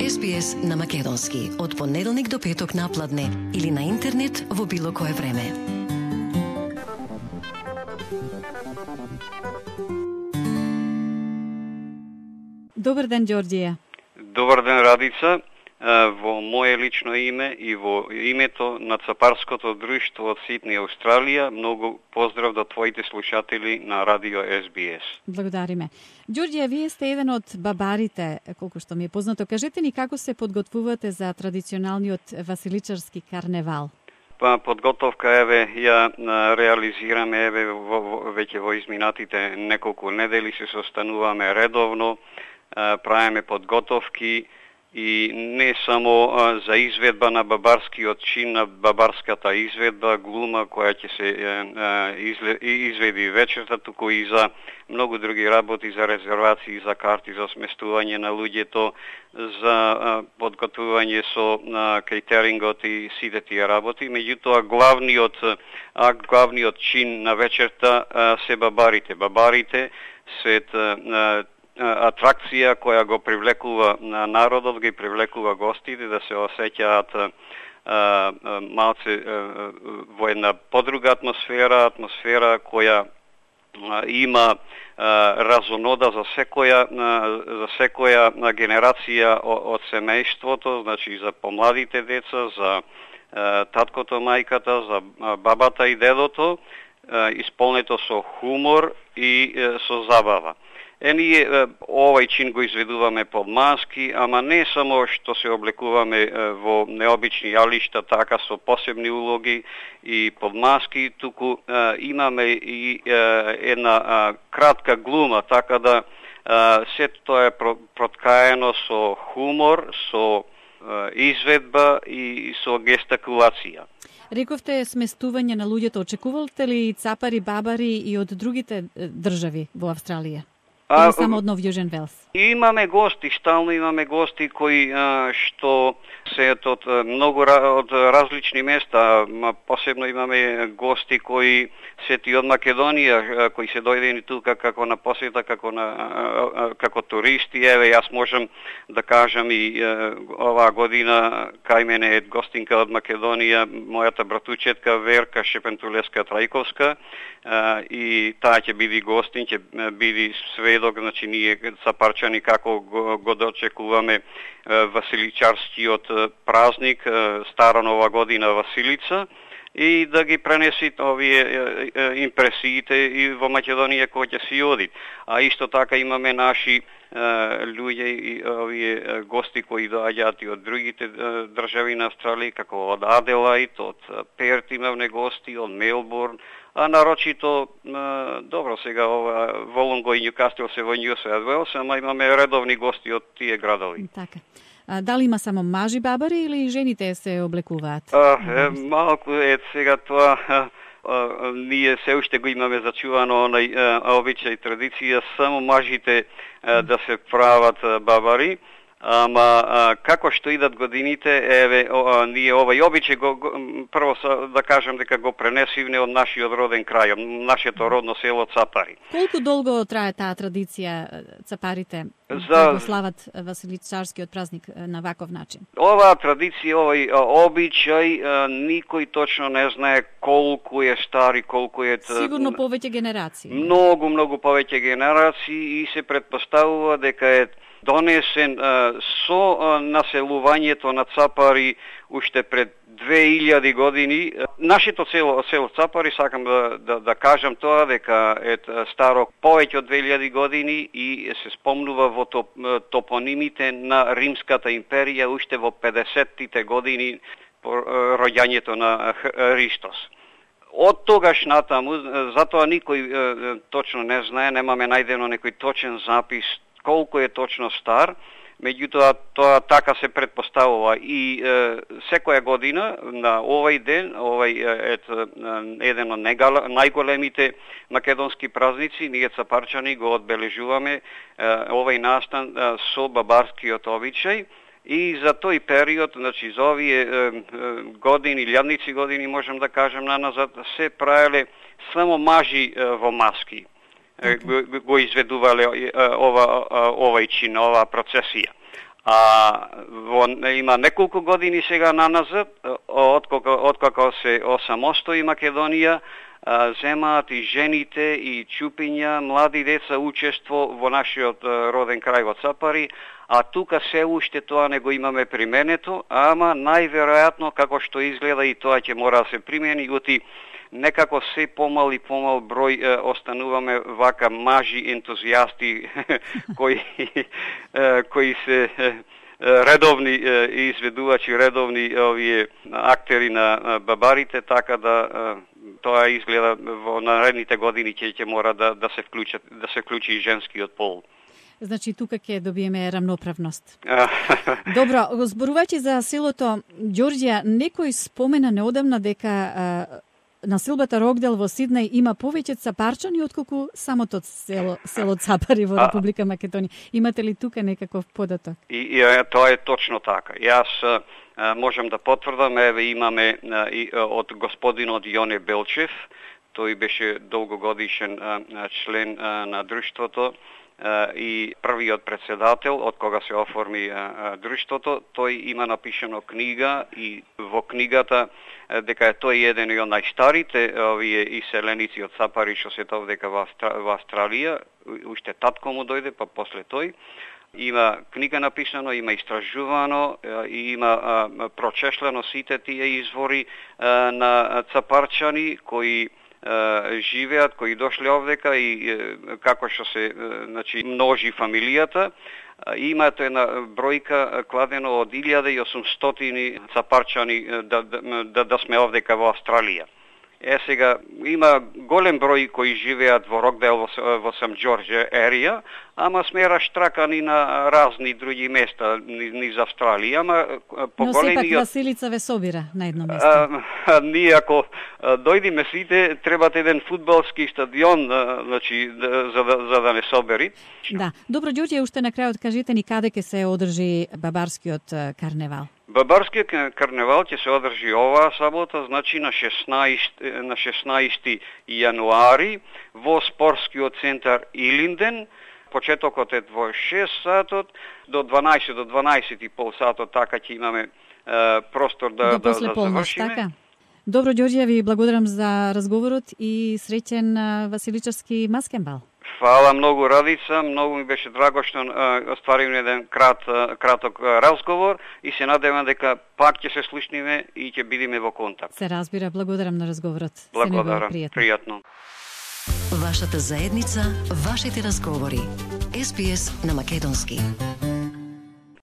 SBS на македонски од понеделник до петок напладне или на интернет во било кое време. Добар ден, Ѓорѓија. Добар ден, Радица. Во мое лично име и во името на Цапарското друштво од Сидни, Австралија, многу поздрав до твоите слушатели на Радио SBS. Благодариме. Ѓорѓија, вие сте еден од бабарите, колку што ми е познато. Кажете ни како се подготвувате за традиционалниот василичарски карневал? Подготовка ја реализираме веќе во изминатите неколку недели, се состануваме редовно, правиме подготовки и не само за изведба на бабарскиот чин, на бабарската изведба, глума која ќе се изведи вечерта, туку и за многу други работи, за резервации, за карти, за сместување на луѓето, за подготвување со кейтерингот и сите тие работи. Меѓутоа, главниот чин на вечерта се бабарите. Бабарите се атракција која го привлекува народот, ги привлекува гостите да се осеќаат малце во една подруга атмосфера која има разонода за секоја генерација од семејството, значи за помладите деца, за таткото, мајката, за бабата и дедото, исполнето со хумор и со забава. Ние овај чин го изведуваме под маски, ама не само што се облекуваме во необични јалишта, така со посебни улоги и под маски, туку имаме и една кратка глума, така да сето тоа е проткаено со хумор, со изведба и со гестикулација. Рековте сместување на луѓето. Очекувалте ли цапари, бабари и од другите држави во Австралија? Или само од Нов Јужен Велс? Имаме гости, стално имаме гости кои што се од многу од различни места, посебно имаме гости кои се од Македонија, кои се дојдени тука како на посета, како туристи. Јас можам да кажам и оваа година кај мене е гостинка од Македонија, мојата братучетка Верка Шепентулеска-Трајковска, и таа ќе биде гостин, ќе биде сведок, значи ние цапарчани како го дочекуваме василичарскиот празник, Стара Нова година Василица, и да ги пренеси овие импресиите и во Македонија кој ќе си оди. А исто така имаме наши луѓе и овие гости кои доаѓаат и од другите држави на Австралија, како од Аделаид, од Перт имаме гости, од Мелбурн, а нарочито, добро сега Волонго и Нјукастил се во Нью Саут Велс, ама имаме редовни гости од тие градови. Така. Дали има само мажи бабари или и жените се облекуваат? Малку е сега тоа, ние се уште го имаме зачувано онај обичај традиција, само мажите да се прават бабари. Ама како што идат годините, ние овај обичај прво да кажам дека го пренесивме од нашиот роден крај, од нашето родно село Цапари. Колку долго трае таа традиција цапарите да го слават василичарскиот празник на ваков начин? Оваа традиција, овај обичај, никој точно не знае колку е стар и колку е... Сигурно повеќе генерации. Многу повеќе генерации, и се претпоставува дека е донесен со населувањето на Цапари уште пред 2000 години. Нашето село Цапари, сакам да кажам тоа, дека е старо повеќе од 2000 години и се спомнува во топонимите на Римската империја уште во 50-тите години по роѓањето на Христос. Од тогаш натаму, затоа никој точно не знае, немаме најдено некој точен запис колку е точно стар, меѓутоа тоа така се претпоставува и секоја година на овај ден, овај е еден од најголемите македонски празници, ние цапарчани го одбележуваме овај настан со бабарскиот обичај. И за тој период, значи за овие години, илјадници години, можам да кажам наназад, се правеле само мажи во маски. Го изведувале овај чин, оваа процесија. Има неколку години сега наназад, откако се осамостои Македонија, земаат и жените и чупиња, млади деца учество во нашиот роден крај во Цапари, а тука се уште тоа не го имаме применето, ама најверојатно како што изгледа и тоа ќе мора да се примени, јути некако се помал и помал број остануваме вака мажи ентузијасти кои се редовни изведувачи, редовни овие актери на бабарите, така да тоа изгледа во наредните години ќе мора да се вклучи и женскиот пол. Значи тука ќе добиеме рамноправност. Добро, зборувајќи за селото Ѓорѓија, некој спомена неодамна дека населбата Рокдел во Сиднеј има повеќе цапарчани отколку самото село Цапари во Република Македонија. Имате ли тука некаков податок? Тоа е точно така. Јас можам да потврдам, еве имаме од господинот Јоне Белчев, тој беше долгогодишен член на друштвото и првиот председател од кога се оформи друштвото. Тој има напишано книга и во книгата дека тој е еден од најстарите овие иселеници од Цапари што се овдека во Австралија, уште татко му дојде, па после тој. Има книга написано, има истражувано и има прочешлено сите тие извори на цапарчани кои живеат, кои дошле овдека и како што се множи фамилијата. Има една бројка кладено од 1800 цапарчани да сме овдека во Австралија. Сега има голем број кои живеат во Рокдел, во Сам Џорџ ерија, ама сме раштракани на разни други места низ Австралија, ама поголемиот... Но сепак Василица ве собира на едно место. Ние ако дојдиме сите, требате еден фудбалски стадион, значи, за да не собери. Да. Добро, Ѓорѓе, уште на крајот кажете ни каде ќе се одржи бабарскиот карневал? Бабарскиот карневал ќе се одржи оваа сабота, значи на 16 јануари во спортскиот центар Илинден. Почетокот е во 6 сатот до 12:30 сатот, така ќе имаме простор да завршиме. Така? Добро, Ѓорѓе, ви благодарам за разговорот и среќен Василичарски маскенбал. Фала многу, Радица, многу ми беше драго што остваривме еден краток разговор и се надевам дека пак ќе се слушниме и ќе бидеме во контакт. Се разбира, благодарам на разговорот. Благодарам, пријатно. Вашата заедница, вашите разговори. SBS на македонски.